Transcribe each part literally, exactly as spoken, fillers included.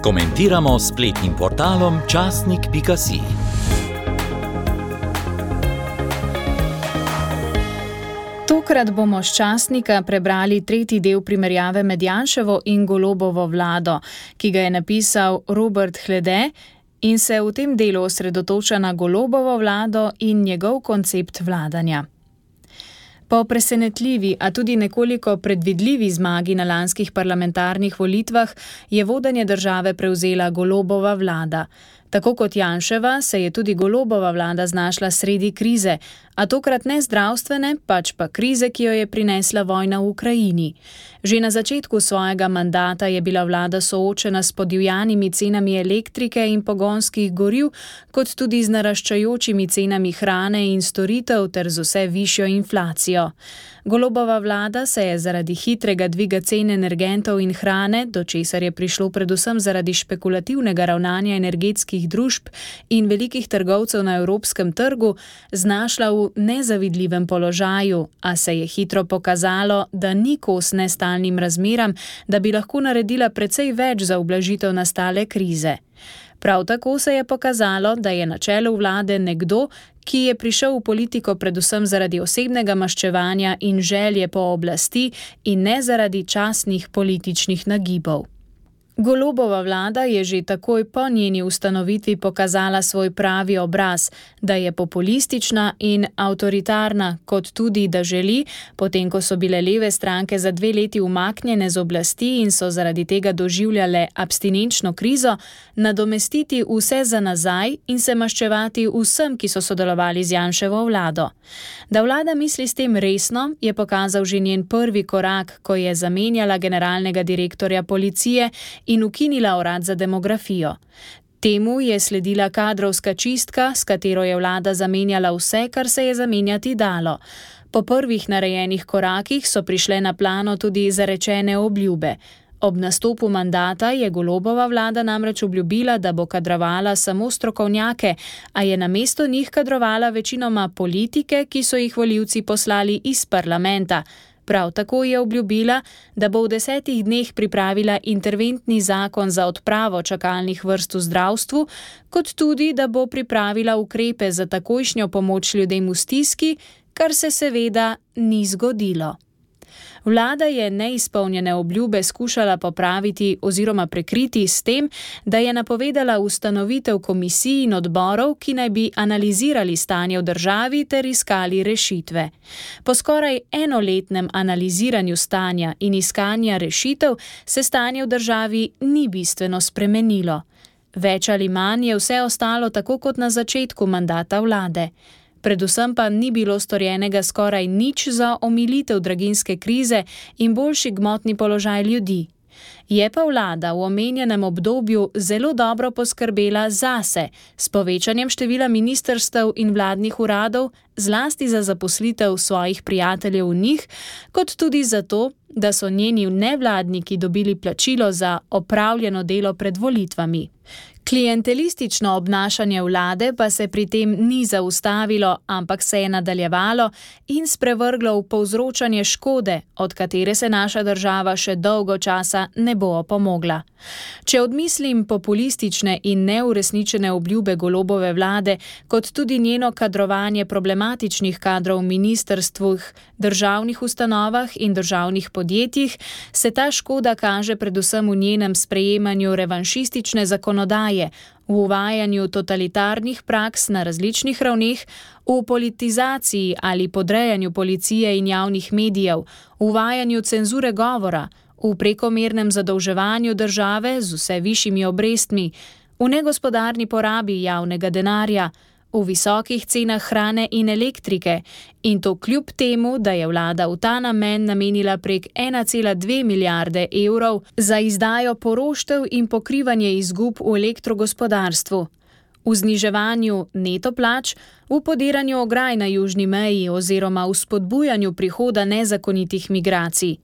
Komentiramo s spletnim portalom časnik pika si. Tokrat bomo s časnika prebrali tretji del primerjave med Janševo in Golobovo vlado, ki ga je napisal Robert Hlede in se v tem delu osredotoča na Golobovo vlado in njegov koncept vladanja. Po presenetljivi, a tudi nekoliko predvidljivi zmagi na lanskih parlamentarnih volitvah je vodenje države prevzela Golobova vlada. Tako kot Janševa se je tudi Golobova vlada znašla sredi krize, a tokrat ne zdravstvene, pač pa krize, ki jo je prinesla vojna v Ukrajini. Že na začetku svojega mandata je bila vlada soočena s podivjanimi cenami elektrike in pogonskih goriv, kot tudi z naraščajočimi cenami hrane in storitev ter z vse višjo inflacijo. Golobova vlada se je zaradi hitrega dviga cen energentov in hrane, do česar je prišlo predvsem zaradi špekulativnega ravnanja energetskih družb in velikih trgovcev na evropskem trgu, znašla v nezavidljivem položaju, a se je hitro pokazalo, da ni kos nestalnim razmeram, da bi lahko naredila precej več za ublažitev nastale krize. Prav tako se je pokazalo, da je na čelu vlade nekdo, ki je prišel v politiko predvsem zaradi osebnega maščevanja in želje po oblasti in ne zaradi častnih političnih nagibov. Golobova vlada je že takoj po njeni ustanovitvi pokazala svoj pravi obraz, da je populistična in avtoritarna, kot tudi, da želi, potem ko so bile leve stranke za dve leti umaknjene z oblasti in so zaradi tega doživljale abstinenčno krizo, nadomestiti vse za nazaj in se maščevati vsem, ki so sodelovali z Janševo vlado. Da vlada misli s tem resno, je pokazal že njen prvi korak, ko je zamenjala generalnega direktorja policije in ukinila urad za demografijo. Temu je sledila kadrovska čistka, s katero je vlada zamenjala vse, kar se je zamenjati dalo. Po prvih narejenih korakih so prišle na plano tudi zarečene obljube. Ob nastopu mandata je Golobova vlada namreč obljubila, da bo kadrovala samo strokovnjake, a je namesto njih kadrovala večinoma politike, ki so jih volivci poslali iz parlamenta. Prav tako je obljubila, da bo v desetih dneh pripravila interventni zakon za odpravo čakalnih vrst v zdravstvu, kot tudi, da bo pripravila ukrepe za takojšnjo pomoč ljudem v stiski, kar se seveda ni zgodilo. Vlada je neizpolnjene obljube skušala popraviti oziroma prekriti s tem, da je napovedala ustanovitev komisij in odborov, ki naj bi analizirali stanje v državi ter iskali rešitve. Po skoraj enoletnem analiziranju stanja in iskanja rešitev se stanje v državi ni bistveno spremenilo. Več ali manj je vse ostalo tako kot na začetku mandata vlade. Predvsem pa ni bilo storjenega skoraj nič za omilitev draginjske krize in boljši gmotni položaj ljudi. Je pa vlada v omenjenem obdobju zelo dobro poskrbela zase, s povečanjem števila ministrstev in vladnih uradov, zlasti za zaposlitev svojih prijateljev v njih, kot tudi zato, da so njeni nevladniki dobili plačilo za opravljeno delo pred volitvami. Klientelistično obnašanje vlade pa se pri tem ni zaustavilo, ampak se je nadaljevalo in sprevrglo v povzročanje škode, od katere se naša država še dolgo časa ne bo opomogla. Če odmislim populistične in neuresničene obljube Golobove vlade, kot tudi njeno kadrovanje problematičnih kadrov v ministrstvih, državnih ustanovah in državnih podjetjih, se ta škoda kaže predvsem v njenem sprejemanju revanšistične zakonodaje, v uvajanju totalitarnih praks na različnih ravneh, v politizaciji ali podrejanju policije in javnih medijev, v uvajanju cenzure govora, v prekomernem zadolževanju države z vse višjimi obrestmi, v negospodarni porabi javnega denarja, v visokih cenah hrane in elektrike, in to kljub temu, da je vlada v ta namen namenila prek ena cela dve milijarde evrov za izdajo poroštev in pokrivanje izgub v elektrogospodarstvu, v zniževanju neto plač, v podiranju ograj na južni meji oziroma v spodbujanju prihoda nezakonitih migracij.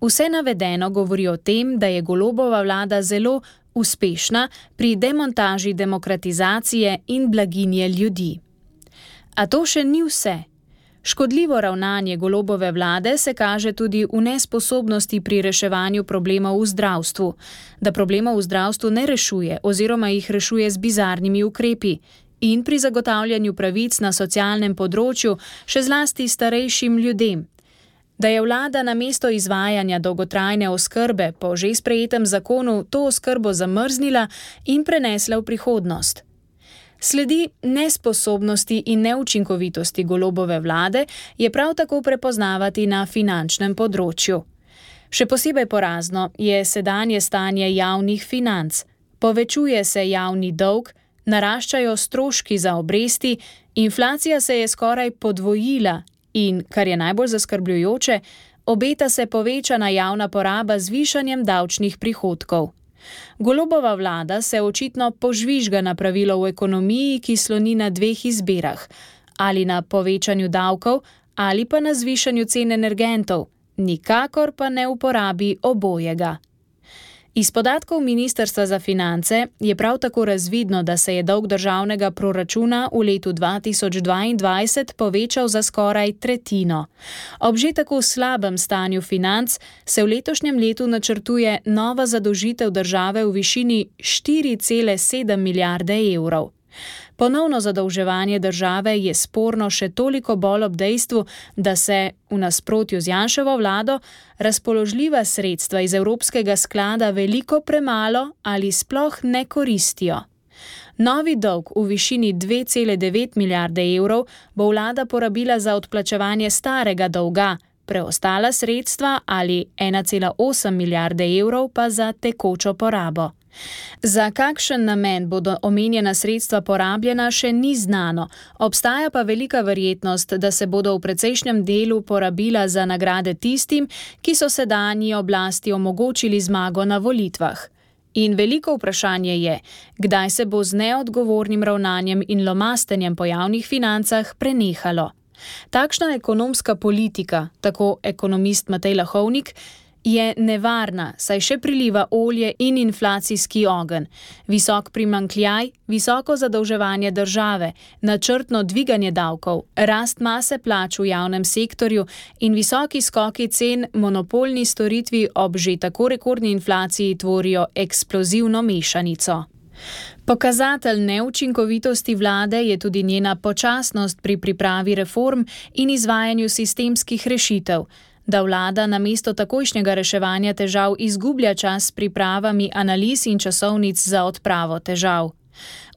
Vse navedeno govori o tem, da je Golobova vlada zelo uspešna pri demontaži demokratizacije in blaginje ljudi. A to še ni vse. Škodljivo ravnanje Golobove vlade se kaže tudi v nesposobnosti pri reševanju problemov v zdravstvu, da problemov v zdravstvu ne rešuje oziroma jih rešuje z bizarnimi ukrepi in pri zagotavljanju pravic na socialnem področju, še zlasti starejšim ljudem. Da je vlada namesto izvajanja dolgotrajne oskrbe po že sprejetem zakonu to oskrbo zamrznila in prenesla v prihodnost. Sledi nesposobnosti in neučinkovitosti Golobove vlade je prav tako prepoznavati na finančnem področju. Še posebej porazno je sedanje stanje javnih financ. Povečuje se javni dolg, naraščajo stroški za obresti, inflacija se je skoraj podvojila in, kar je najbolj zaskrbljujoče, obeta se povečana javna poraba z višanjem davčnih prihodkov. Golobova vlada se očitno požvižga na pravilo v ekonomiji, ki sloni na dveh izbirah, ali na povečanju davkov ali pa na zvišanju cen energentov, nikakor pa ne uporabi obojega. Iz podatkov Ministrstva za finance je prav tako razvidno, da se je dolg državnega proračuna v letu dva tisoč dvaindvajset povečal za skoraj tretjino. Ob že tako slabem stanju financ se v letošnjem letu načrtuje nova zadolžitev države v višini štiri cele sedem milijarde evrov. Ponovno zadolževanje države je sporno še toliko bolj ob dejstvu, da se, v nasprotju z Janševo vlado, razpoložljiva sredstva iz Evropskega sklada veliko premalo ali sploh ne koristijo. Novi dolg v višini dve cele devet milijarde evrov bo vlada porabila za odplačevanje starega dolga, preostala sredstva ali ena cela osem milijarde evrov pa za tekočo porabo. Za kakšen namen bodo omenjena sredstva porabljena, še ni znano, obstaja pa velika verjetnost, da se bodo v precejšnjem delu porabila za nagrade tistim, ki so sedanji oblasti omogočili zmago na volitvah. In veliko vprašanje je, kdaj se bo z neodgovornim ravnanjem in lomastenjem po javnih financah prenehalo. Takšna ekonomska politika, tako ekonomist Matej Lahovnik, je nevarna, saj še priliva olje in inflacijski ogenj. Visok primanjkljaj, visoko zadolževanje države, načrtno dviganje davkov, rast mase plač v javnem sektorju in visoki skoki cen monopolni storitvi ob že tako rekordni inflaciji tvorijo eksplozivno mešanico. Pokazatelj neučinkovitosti vlade je tudi njena počasnost pri pripravi reform in izvajanju sistemskih rešitev. Da vlada namesto takojšnjega reševanja težav izgublja čas s pripravami analiz in časovnic za odpravo težav.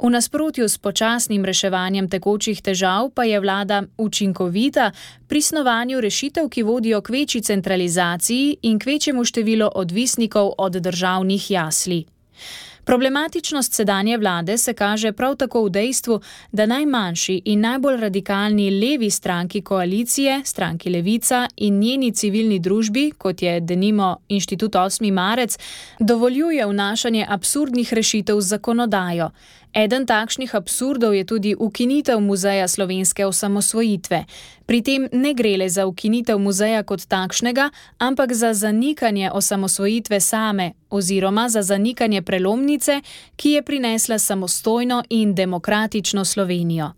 V nasprotju s počasnim reševanjem tekočih težav pa je vlada učinkovita pri snovanju rešitev, ki vodijo k večji centralizaciji in k večjemu številu odvisnikov od državnih jasli. Problematičnost sedanje vlade se kaže prav tako v dejstvu, da najmanjši in najbolj radikalni levi stranki koalicije, stranki Levica in njeni civilni družbi, kot je denimo Inštitut osmi marec, dovoljuje vnašanje absurdnih rešitev z zakonodajo. Eden takšnih absurdov je tudi ukinitev Muzeja slovenske osamosvojitve. Pri tem ne gre le za ukinitev muzeja kot takšnega, ampak za zanikanje osamosvojitve same oziroma za zanikanje prelomnice, ki je prinesla samostojno in demokratično Slovenijo.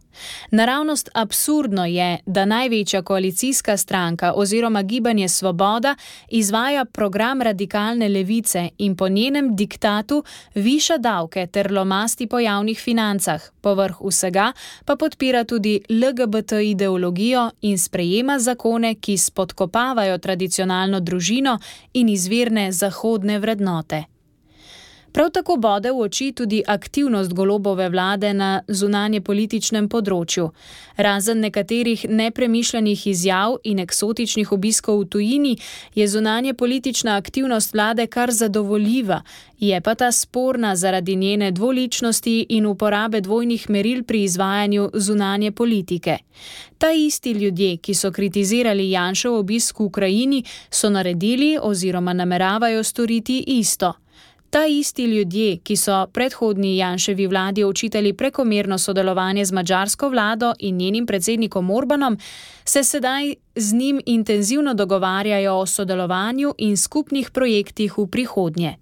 Naravnost absurdno je, da največja koalicijska stranka oziroma Gibanje Svoboda izvaja program radikalne levice in po njenem diktatu viša davke ter lomasti po javnih financah, povrh vsega pa podpira tudi L G B T ideologijo in sprejema zakone, ki spodkopavajo tradicionalno družino in izvirne zahodne vrednote. Prav tako bode v oči tudi aktivnost Golobove vlade na zunanjepolitičnem področju. Razen nekaterih nepremišljenih izjav in eksotičnih obiskov v tujini je zunanjepolitična aktivnost vlade kar zadovoljiva, je pa ta sporna zaradi njene dvoličnosti in uporabe dvojnih meril pri izvajanju zunanje politike. Ta isti ljudje, ki so kritizirali Janšev obisk v Ukrajini, so naredili oziroma nameravajo storiti isto. Ta isti ljudje, ki so predhodni Janševi vladi očitali prekomerno sodelovanje z madžarsko vlado in njenim predsednikom Orbanom, se sedaj z njim intenzivno dogovarjajo o sodelovanju in skupnih projektih v prihodnje.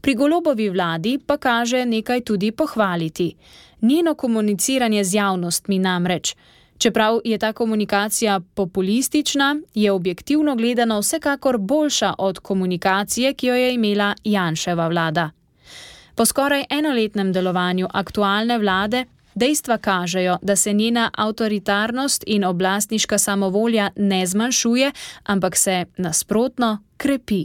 Pri Golobovi vladi pa kaže nekaj tudi pohvaliti. Njeno komuniciranje z javnostmi namreč. Čeprav je ta komunikacija populistična, je objektivno gledano vsekakor boljša od komunikacije, ki jo je imela Janševa vlada. Po skoraj enoletnem delovanju aktualne vlade dejstva kažejo, da se njena avtoritarnost in oblastniška samovolja ne zmanjšuje, ampak se nasprotno krepi.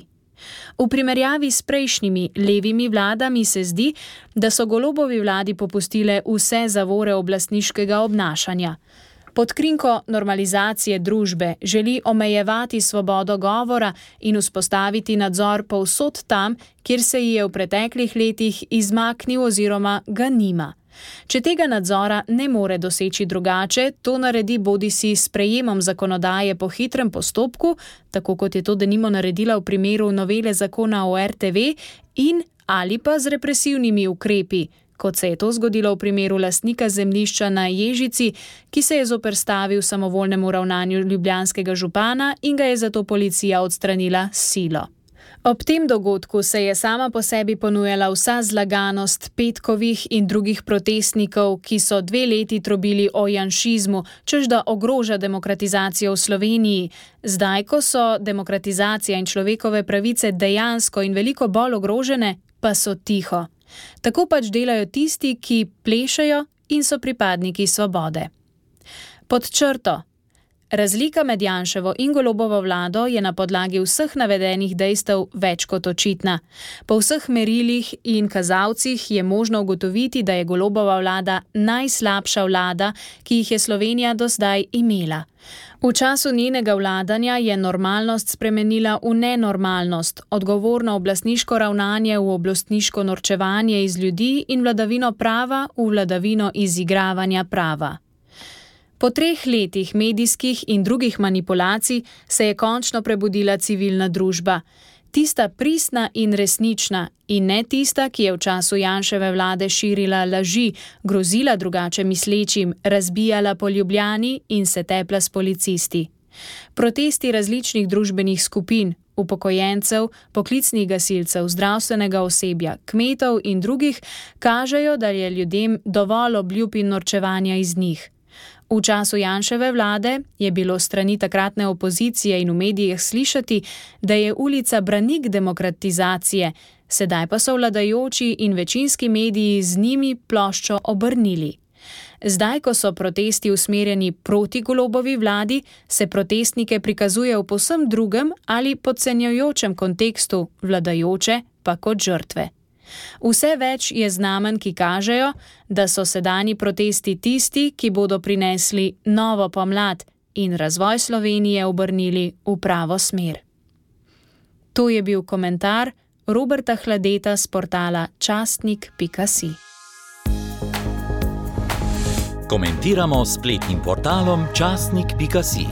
V primerjavi s prejšnjimi levimi vladami se zdi, da so Golobovi vladi popustile vse zavore oblastniškega obnašanja. Pod krinko normalizacije družbe želi omejevati svobodo govora in vzpostaviti nadzor povsod tam, kjer se ji je v preteklih letih izmaknil oziroma ga nima. Če tega nadzora ne more doseči drugače, to naredi bodisi s sprejemom zakonodaje po hitrem postopku, tako kot je to denimo naredila v primeru novele zakona o er te ve, in ali pa z represivnimi ukrepi, kot se je to zgodilo v primeru lastnika zemljišča na Ježici, ki se je zoperstavil samovoljnemu ravnanju ljubljanskega župana in ga je zato policija odstranila s silo. Ob tem dogodku se je sama po sebi ponujala vsa zlaganost petkovih in drugih protestnikov, ki so dve leti trobili o janšizmu, češ da ogroža demokratizacijo v Sloveniji. Zdaj, ko so demokratizacija in človekove pravice dejansko in veliko bolj ogrožene, pa so tiho. Tako pač delajo tisti, ki plešejo in so pripadniki svobode. Pod črto. Razlika med Janševo in Golobovo vlado je na podlagi vseh navedenih dejstev več kot očitna. Po vseh merilih in kazalcih je možno ugotoviti, da je Golobova vlada najslabša vlada, ki jih je Slovenija do zdaj imela. V času njenega vladanja je normalnost spremenila v nenormalnost, odgovorno oblastniško ravnanje v oblastniško norčevanje iz ljudi in vladavino prava v vladavino izigravanja prava. Po treh letih medijskih in drugih manipulacij se je končno prebudila civilna družba. Tista pristna in resnična in ne tista, ki je v času Janševe vlade širila laži, grozila drugače mislečim, razbijala po Ljubljani in se tepla s policisti. Protesti različnih družbenih skupin, upokojencev, poklicnih gasilcev, zdravstvenega osebja, kmetov in drugih kažejo, da je ljudem dovolj obljub in norčevanja iz njih. V času Janševe vlade je bilo strani takratne opozicije in v medijih slišati, da je ulica branik demokratizacije, sedaj pa so vladajoči in večinski mediji z njimi ploščo obrnili. Zdaj, ko so protesti usmerjeni proti Golobovi vladi, se protestnike prikazuje v povsem drugem ali podcenjujočem kontekstu, vladajoče pa kot žrtve. Vse več je znamenj, ki kažejo, da so sedanji protesti tisti, ki bodo prinesli novo pomlad in razvoj Slovenije obrnili v pravo smer. To je bil komentar Roberta Hladeta s portala častnik pika si. Komentiramo s spletnim portalom častnik pika si.